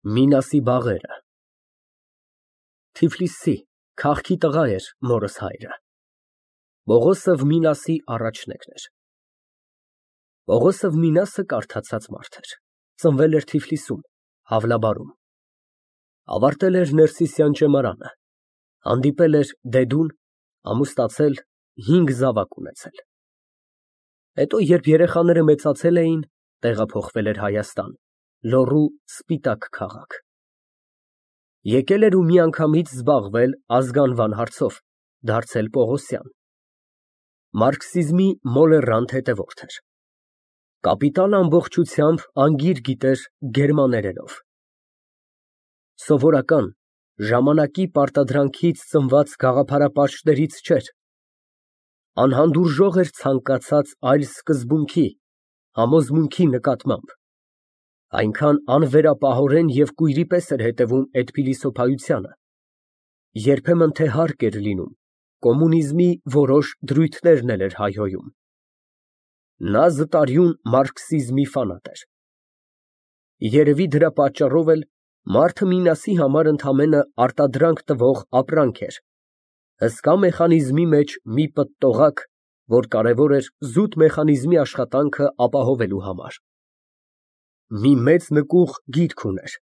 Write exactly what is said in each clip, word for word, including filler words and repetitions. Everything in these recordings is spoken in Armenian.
Մինասի բաղերը Թիֆլիսի քաղաքի տղա էր մորս հայրը։ Պողոսով Մինասի առաջնեկն էր։ Պողոսով Մինասը կարդացած մարդ էր, ծնվել էր Թիֆլիսում, Հավլաբարում, ավարտել էր Ներսիսյան ճեմարանը, հանդիպել էր դեդուն, ամուսնացել, հինգ զավակ ունեցել։ Հետո, երբ երեխաները մեծացել էին, տեղափոխվել էր Հայաստան, Լոռու Սպիտակ քաղաք։ Եկել էր ու միանգամից զբաղվել ազգանվան հարցով, դարձել Պողոսյան։ Մարքսիզմի մոլեռանդ հետևորդ էր։ Կապիտալը ամբողջությամբ անգիր գիտեր գերմաներենով։ Սովորական, ժամանակի պարտադրանքից ծնված գաղափարապաշտներից չէր։ Անհանդուրժող էր ցանկացած այլ սկզբունքի, համոզմունքի նկատմամբ, այնքան անվերապահորեն և կույրի պես էր հետևում այդ փիլիսոփայությանը, երբեմն թե հարկ էր լինում, կոմունիզմի որոշ դրույթներն էլ էր հայհոյում։ Նա զտարյուն մարքսիզմի ֆանատ էր։ Երևի դրա պատճառով էլ մարդը Մինասի համար ընդամենը արտադրանք տվող ապրանք էր, հսկա մեխանիզմի մեջ մի պտտողակ, որ կարևոր էր զուտ մեխանիզմի աշխատանքը ապահովելու համար։ Մի մեծ նկուղ գիրք ուներ,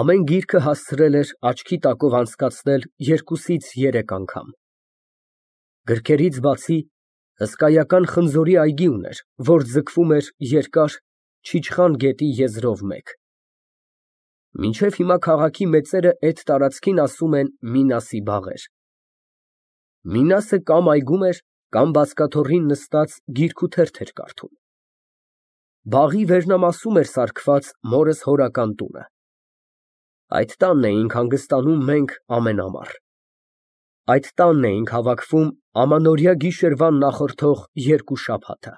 ամեն գիրքը հասցրել էր աչքի տակով անցկացնել երկուսից երեք անգամ։ Գրքերից բացի հսկայական խնձորի այգի ուներ, որ ձգվում էր երկար Չիչխան գետի եզրով մեկ։ Մինչև հիմա քաղաքի մեծերը այդ տարածքին ասում են Մինասի բաղեր։ Մինասը կամ այգում էր, կամ բազկաթոռին նստած գիրք ու թերթ էր կարդում։ Բաղի վերնամասում էր սարքված մորս հորական տունը։ Այդ տանն էինք հանգստանում մենք ամեն ամառ։ Այդ տանն էինք հավաքվում ամանորյա գիշերվան նախորդող երկու շաբաթը։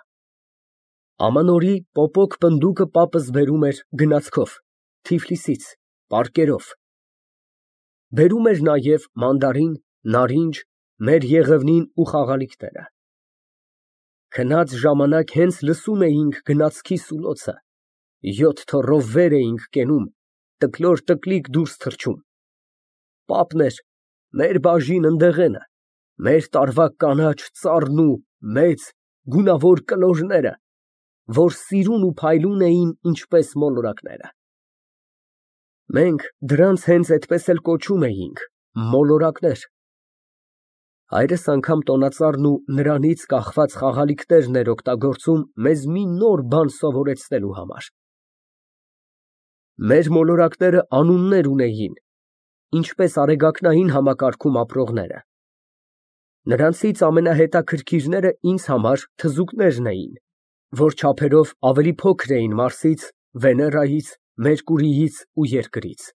Ամանորի պոպոկ պնդուկը պապս բերում էր գնացքով, Թիֆլիսից, պարկերով։ Բերում էր նաև մանդարին, նարինջ, մեր եղևնին ու խաղալիքները։ Քնած ժամանակ հենց լսում էինք գնացքի սուլոցը, յոթ թոռով վեր էինք կենում, տկլոր֊տկլիկ դուրս թռչում։ Պապն էր, մեր բաժին ընդեղենը, մեր տարվա կանաչ ծառն ու մեծ, գունավոր կլորները, որ սիրուն ու փայլուն էին ինչպես մոլորակները։ Մենք դրանց հենց այդպես էլ կոչում էինք մոլորակներ։ Հայրս անգամ տոնածառն ու նրանից կախված խաղալիքներն էր օգտագործում մեզ մի նոր բան սովորեցնելու համար։ Մեր մոլորակները անուններ ունեին, ինչպես արեգակնային համակարգում ապրողները։ Նրանցից ամենահետաքրքիրները ինձ համար թզուկներն էին, որ չափերով ավելի փոքր էին Մարսից, Վեներայից, Մերկուրիից ու Երկրից։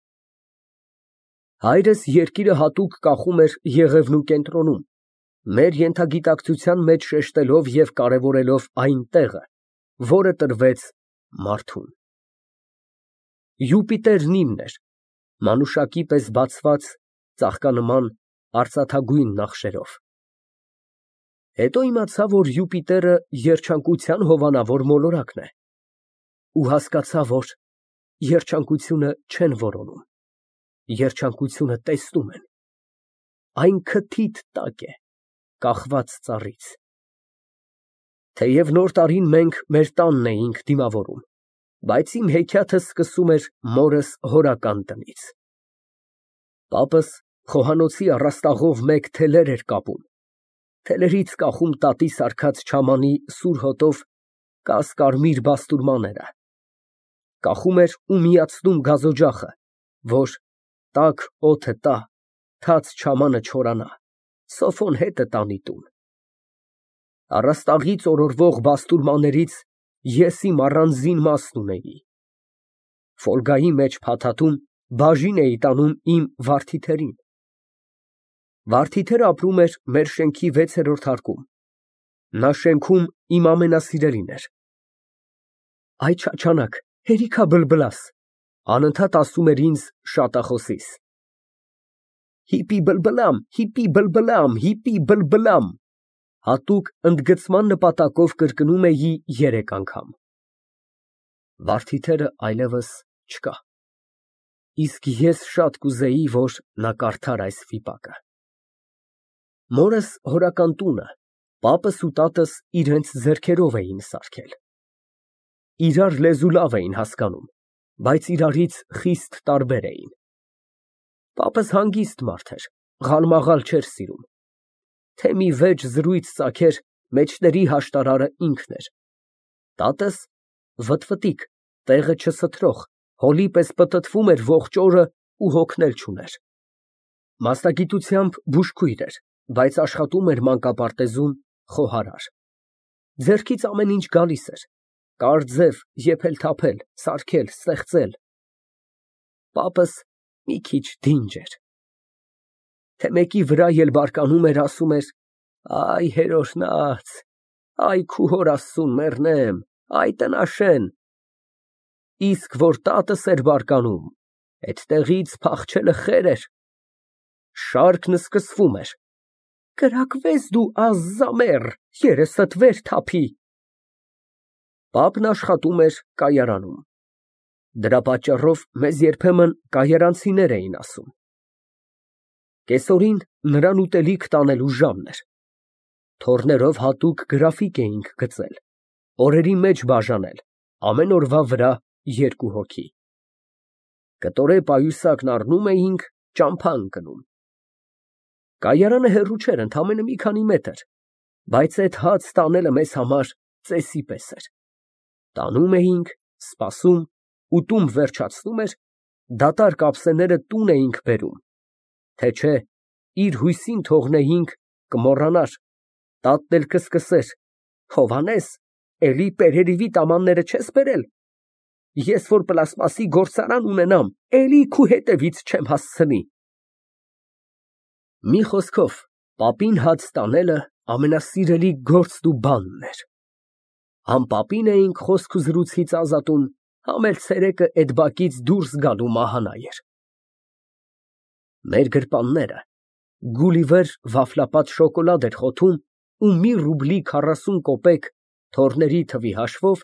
Հայրս երկիրը հատուկ կախում էր Եղևնու կենտրոնում, մեր ենթագիտակցության մեջ շեշտելով և կարևորելով այն տեղը, որը տրվեց մարդուն։ Յուպիտերն իմն էր, մանուշակի պես բացված, ծաղկանման արծաթագույն նախշերով։ Հետո իմացա, որ Յուպիտերը երջանկության հովանավոր մոլորակն է, ու հասկացա, որ երջանկությունը չեն որոնում, երջանկությունը տեսնում են, այն քթիթ տակ է, կախված ծառից։ Թեև նոր տարին մենք մեր տանն էինք դիմավորում, բայց իմ հեքիաթը սկսում էր մորս հորական տնից։ Պապս խոհանոցի առաստաղով մեկ թելեր էր կապում, թելերից կախում տատի սարքած չամանի սուր հոտով կաս֊կարմիր բաստուրմաները, կախում էր ու միացնում գազօջախը, որ տաք օդը տա, թաց չամանը չորանա, սոֆոն հետը տանի տուն։ Առաստաղից օրորվող բաստուրմաներից ես իմ առանձին մասն ունեի։ Ֆոլգայի մեջ փաթաթում բաժին էի տանում իմ վարդիթերին։ Վարդիթերը ապրում էր մեր շենքի վեցերորդ հարկում։ Նա շենքում իմ ամենասիրելին էր։ Այ չաչանակ, հերիք ա բլբլաս, անընդհատ ասում էր ինձ շատախոսիս։ Հիպի բլբլամ, հիպի բլբլամ, հիպի բլբլամ, հատուկ ընդգծման նպատակով կրկնում էի երեք անգամ։ Վարդիթերը այլևս չկա։ Իսկ ես շատ կուզեի, որ նա կարդար այս վիպակը։ Մորս հորական տունը պապս ու տատս իրենց ձեռքերով էին սարքել։ Իրար լեզու լավ էին հասկանում, բայց իրարից խիստ տարբեր էին։ Պապս հանգիստ մարդ էր, ղալմաղալ չէր սիրում։ Թե մի վեճ զրույց ծագեր, մեջտերի հաշտարարը ինքն էր։ Տատս վտվտիկ, տեղը չսթրող, հոլի պես պտտվում էր ողջ օրը ու հոգնել չուներ։ Մասնագիտությամբ բուժքույր էր, բայց աշխատում էր մանկապարտեզում խոհարար։ Ձեռքից ամեն ինչ գալիս էր, կարձև, եփել֊թափել, սարքել, ստեղծել։ Պապս մի քիչ դինջ էր։ Թե մեկի վրա էլ բարկանում էր, ասում էր. «Այ հերօրհնած, այ քու հոր Աստծուն մեռնեմ, այ տնաշեն»։ Իսկ որ տատս էր բարկանում, էդտեղից փախչելը խեր էր։ Շարքն սկսվում էր. «Կրակվես դու ազզամեռ, երեսդ վեր թափի»։ Պապն աշխատում էր կայարանում։ Դրա պատճառով մեզ երբեմն կայարանցիներ էին ասում։ Կեսօրին նրան ուտելիք տանելու ժամն էր։ Թոռներով հատուկ գրաֆիկ էինք գծել, օրերի մեջ բաժանել, ամեն օրվա վրա երկու հոգի։ Կտորե պայուսակն առնում էինք, ճամփա ընկնում։ Կայարանը հեռու չէր, ընդամենը մի քանի մետր, բայց այդ հաց տանելը մեզ համար ծեսի պես էր։ Տանում էինք, սպասում, ուտում վերջացնում էր, դատարկ ափսեները տուն էինք բերում, թե չէ իր հույսին թողնեինք, կմոռանար, տատն էլ կսկսեր. «Հովհաննես, էլի պերերիվիտ ամանները չես բերել, ես որ պլաստմասի գործարան ունենամ, էլի քու հետևից չեմ հասցնի»։ Մի խոսքով, պապին հաց տանելը ամենասիրելի գործն ու բանն էր։ Համ պապին էինք խոսք ու զրույցից ազատում, համ էլ ցերեկը էդ բակից դուրս գալու մահանա էր։ Մեր գրպանները Գուլիվեր վաֆլապատ շոկոլադ էր խոթում ու մի ռուբլի քառասուն կոպեկ թոռների թվի հաշվով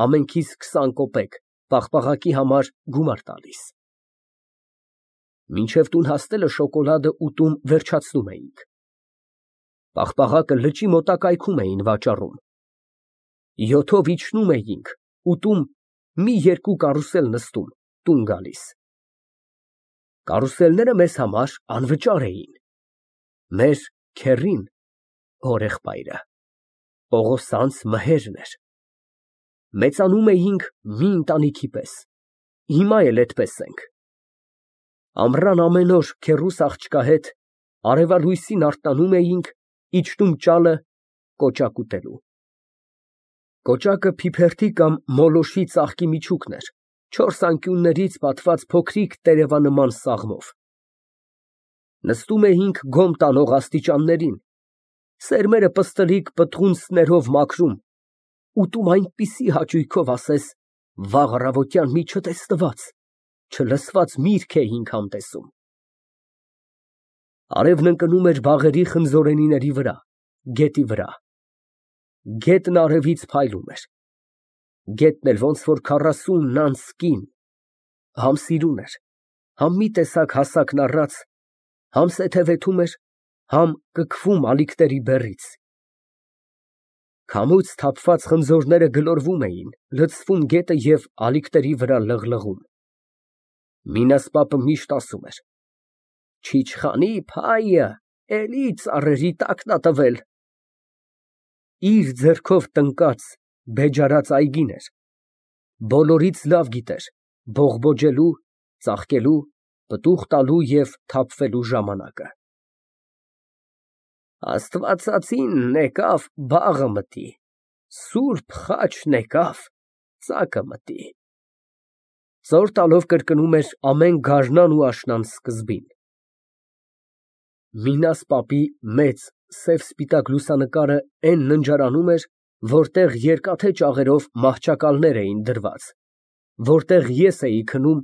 ամենքիս քսան կոպեկ պաղպաղակի համար գումար տալիս։ Մինչև տուն հասնելը շոկոլադը ուտում վերջացնում էինք։ Պաղպաղակը լճի մոտակայքում էին վաճառում։ Յոթով իջնում էինք, ուտում, մի երկու կարուսել նստում, տուն գալիս։ Կարուսելները մեզ համար անվճար էին։ Մեր քեռին, հորեղբայրը, Պողոսյանի մհերն էր։ Մեծանում էինք մի ընտանիքի պես, հիմա էլ էդպես ենք։ Ամռան ամեն օր քեռուս աղջկա հետ արևալույսին արթնանում էինք, իջնում ճալը կոճակ ուտելու։ Կոճակը փիփերթի կամ մոլոշի ծաղկի միջուկն էր, չորս անկյուններից պատված փոքրիկ տերևանման սաղմով։ Նստում էինք գոմ տանող աստիճաններին, սերմերը պստլիկ պտղունցքներով մաքրում, ուտում այնպիսի հաճույքով, ասես վաղ առավոտյան մի չտեսնված, չլսված միրգ էինք համտեսում։ Արևն ընկնում էր բաղերի խնձորենիների վրա, գետի վրա։ Գետն արևից փայլում էր։ Գետն էլ ոնց որ քառասուն անց կին, համ սիրուն էր, համ մի տեսակ հասակն առած, համ սեթևեթում էր, համ կքվում ալիքների բեռից։ Քամուց թափված խնձորները գլորվում էին, լցվում գետը և ալիքների վրա լղլղում։ Մինաս պապը միշտ ասում էր. «Չիչխանի փայը էլի ծառերի տակն ա տվել»։ Իր ձեռքով տնկած, բեջարած այգին էր, բոլորից լավ գիտեր բողբոջելու, ծաղկելու, պտուղ տալու և թափվելու ժամանակը։ Աստվածածինն եկավ, բաղը մտի, Սուրբ խաչն եկավ, ծակը մտի։ Ծոր տալով կրկնում էր ամեն գարնան ու աշնան սկզբին։ Մինաս պապի մեծ սև֊սպիտակ լուսանկարը էն ննջարանում էր, որտեղ երկաթե ճաղերով մահճակալներ էին դրված, որտեղ ես էի քնում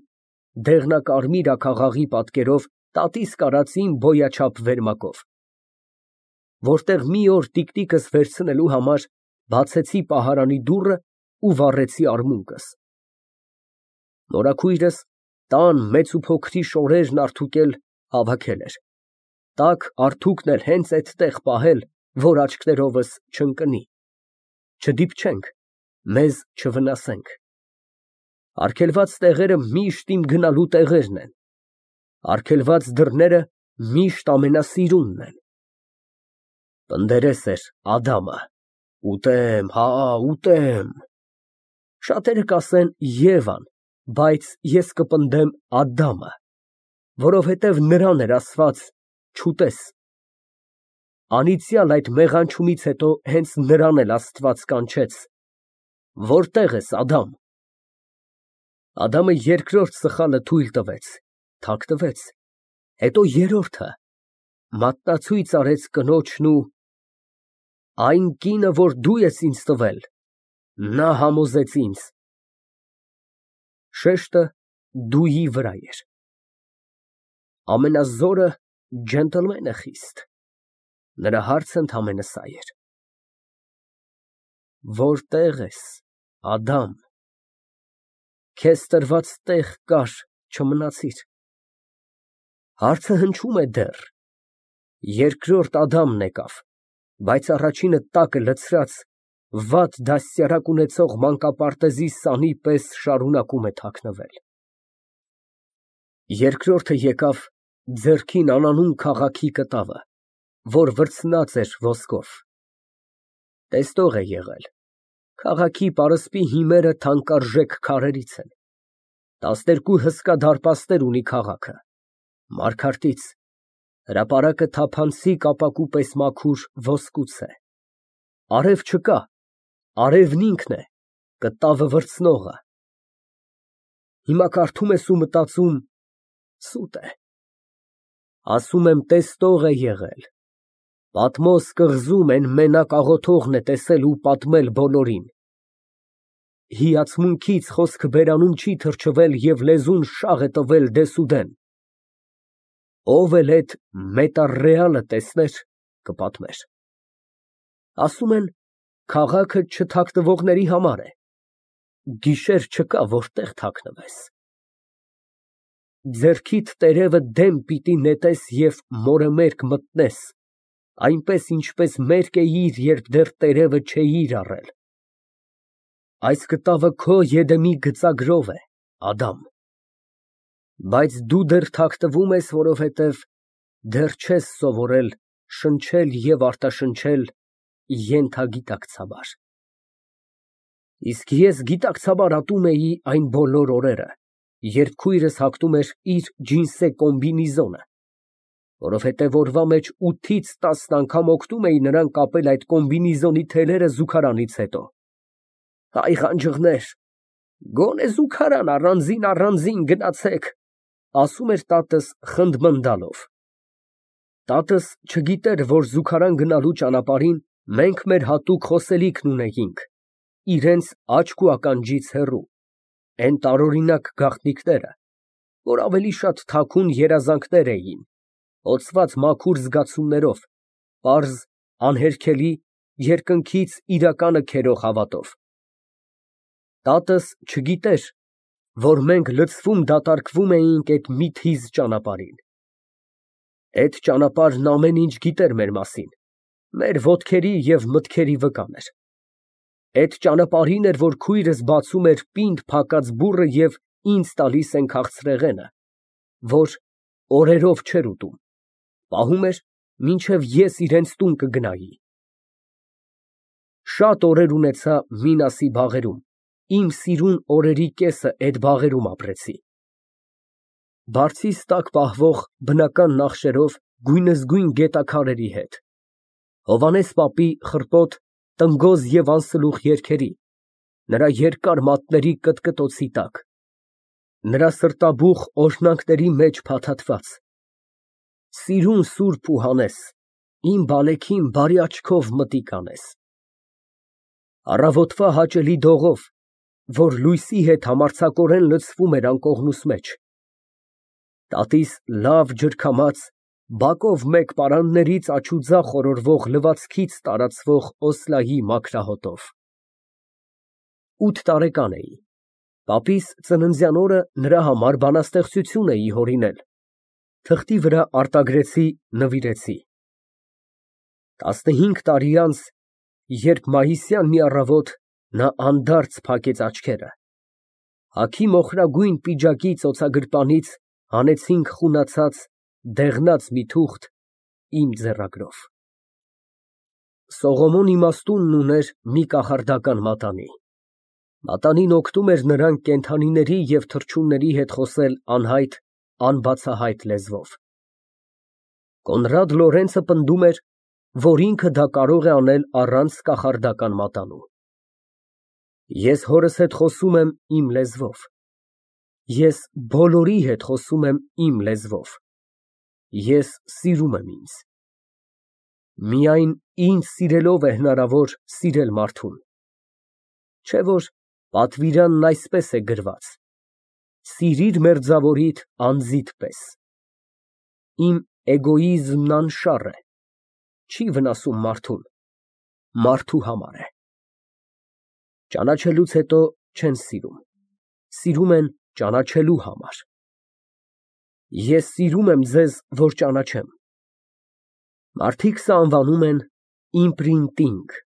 դեղնակարմիր աքաղաղի պատկերով տատիս կարածին բոյաչափ վերմակով, որտեղ մի օր տիկնիկս վերցնելու համար բացեցի պահարանի դուռը ու վառեցի արմունկս։ Մորաքույրս Տան մեծ ու փոքրի շորերն արդուկել հավաքել էր, տաք արթուկն էլ հենց այդտեղ պահել, որ աչքներովս չընկնի, չդիպչենք, մեզ չվնասենք։ Արգելված տեղերը միշտ իմ գնալու տեղերն են, արգելված դռները միշտ ամենասիրունն են։ Պնդերես էր Ադամը, ուտեմ, հա, ուտեմ։ Շատերը կասեն Եվան, բայց ես կպնդեմ Ադամը, որովհետև նրան էր ասված չուտես։ Անիծյալ այդ մեղանչումից հետո հենց նրան էլ Աստված կանչեց. «Որտե՞ղ ես, Ադամ»։ Ադամը երկրորդ սխալը թույլ տվեց, թաքնվեց, հետո երրորդը, մատնացույց արեց կնոջն ու այն կինը, որ դու ես ինձ տվել, նա համոզեց ինձ։ Շեշտը դուի վրա էր։ Ամենազորը ջենտլմեն է խիստ, նրա հարցը ընդամենը սա էր. Որտե՞ղ ես, Ադամ, քեզ տրված տեղ կար, չմնացիր։ Հարցը հնչում է դեռ, երկրորդ Ադամն եկավ, բայց առաջինը տակը լցրած, վատ դաստիարակ ունեցող մանկապարտեզի սանի պես շարունակում է թաքնվել։ Երկրորդը եկավ ձեռքին անանուն քաղաքի կտավը, որ վրձնած էր ոսկով, տեսնող է եղել, քաղաքի պարսպի հիմերը թանկարժեք քարերից են, տասներկու հսկա դարպասներ ունի քաղաքը, մարգարտից, հրապարակը թափանցիկ ապակու պես մաքուր ոսկուց է, արև չկա, արևն ինքն է, կտավը վրձնողը։ Հիմա կարդում ես ու մտածում. սուտ է, ասում եմ տեսնող է եղել, Պատմոս կղզում են մենակ աղոթողն է տեսել ու պատմել բոլորին, հիացմունքից խոսքը բերանում չի թրջվել և լեզուն շաղ է տվել դեսուդեն, ով էլ էդ մետառեալը տեսներ, կպատմեր, ասում են քաղաքը չթաքնվողների համար է, գիշեր չկա, որտեղ թաքնվես, ձեռքիդ տերևը դեմ պիտի նետես և մորը մերկ մտնես, այնպես, ինչպես մերկ էիր, երբ դեռ տերևը չէիր առել, այս կտավը քո Եդեմի գծագրով է, Ադամ, բայց դու դեռ թաքնվում ես, որովհետև դեռ չես սովորել շնչել և արտաշնչել ենթագիտակցաբար, իսկ ես գիտակցաբար ատում էի այն բոլոր օրերը, երբ քույրս հագնում էր իր ջինսե կոմբինեզոնը, որովհետև օրվա մեջ ութից տասն անգամ օգնում էի նրան կապել այդ կոմբինեզոնի թելերը զուգարանից հետո, այ ղանջղներ, գոնե զուգարան առանձին գնացեք, ասում էր տատս խնդմնդալով, տատս չգիտեր, որ զուգարան գնալու ճանապարհին մենք մեր հատուկ խոսելիքն ունեինք, իրենց աչք ու ականջից հեռու, այն տարօրինակ գաղտնիքները, որ ավելի շատ թաքուն երազանքներ էին, հոգած մաքուր զգացումներով, պարզ, անհերքելի, երկնքից իրականը քերող հավատով։ Տատս չգիտեր, որ մենք լցվում դատարկվում էինք այդ մի թիզ ճանապարհին։ Այդ ճանապարհն ամեն ինչ գիտեր մեր մասին, մեր ոտքերի և մտքերի վկան էր։ Այդ ճանապարհին էր, որ քույրս բացում էր պինդ փակած բուռը և ինձ տալիս են քաղցրեղենը, որ օրերով չէր ուտում, պահում էր, մինչև ես իրենց տուն կգնայի։ Շատ օրեր ունեցա Մինասի բաղերում, իմ սիրուն օրերի կեսը այդ բաղերում ապրեցի։ Բարձիս տակ պահվող բնական նախշերով գույնզգույն գետաքարերի հետ, Հովհաննես պապի խռպոտ, տնգոզ և անսլուխ երգերի, նրա երկար մատների կտկտոցի տակ, նրա սրտաբուխ օրհնանքների մեջ փաթաթված, սիրուն սուրբ ու հանես, իմ բալեքին բարի աչքով մտիկ անես, առավոտվա հաճելի դողով, որ լույսի հետ համարձակորեն լցվում էր անկողնուս մեջ, տատիս լավ ջրքամած, բակով մեկ պարաններից աջուձախ օրորվող լվացքից տարածվող օսլայի մաքրահոտով։ Ութ տարեկան էի։ Պապիս ծննդյան օրը նրա համար բանաստեղծություն էի հորինել, թղթի վրա արտագրեցի, նվիրեցի։ Տասնհինգ տարի անց, երբ մայիսյան մի առավոտ նա անդարձ փակեց աչքերը, հագի մոխրագույն պիջակի ծոցագրպանից հանեցինք խունացած, դեղնած մի թուղթ իմ ձեռագրով։ Սողոմոն իմաստունն ուներ մի կախարդական մատանի։ Մատանին օգնում էր նրան կենդանիների և թռչունների հետ խոսել անհայտ, անբացահայտ լեզվով։ Կոնրադ Լորենցը պնդում էր, որ ինքը դա կարող է անել առանց կախարդական մատանու։ Ես հորս հետ խոսում եմ իմ լեզվով։ Ես բոլորի հետ խոսում եմ իմ լեզվով։ Ես սիրում եմ ինձ։ Միայն ինձ սիրելով է հնարավոր սիրել մարդուն։ Չէ՞ որ պատվիրանն այսպես է գրված. «Սիրիր մերձավորիդ անձիդ պես»։ Իմ էգոիզմն անշառ է, չի վնասում մարդուն, մարդու համար է։ Ճանաչելուց հետո չեն սիրում, սիրում են ճանաչելու համար։ Ես սիրում եմ ձեզ, որ ճանաչեմ։ Մարդիկ սա անվանում են իմպրինտինգ։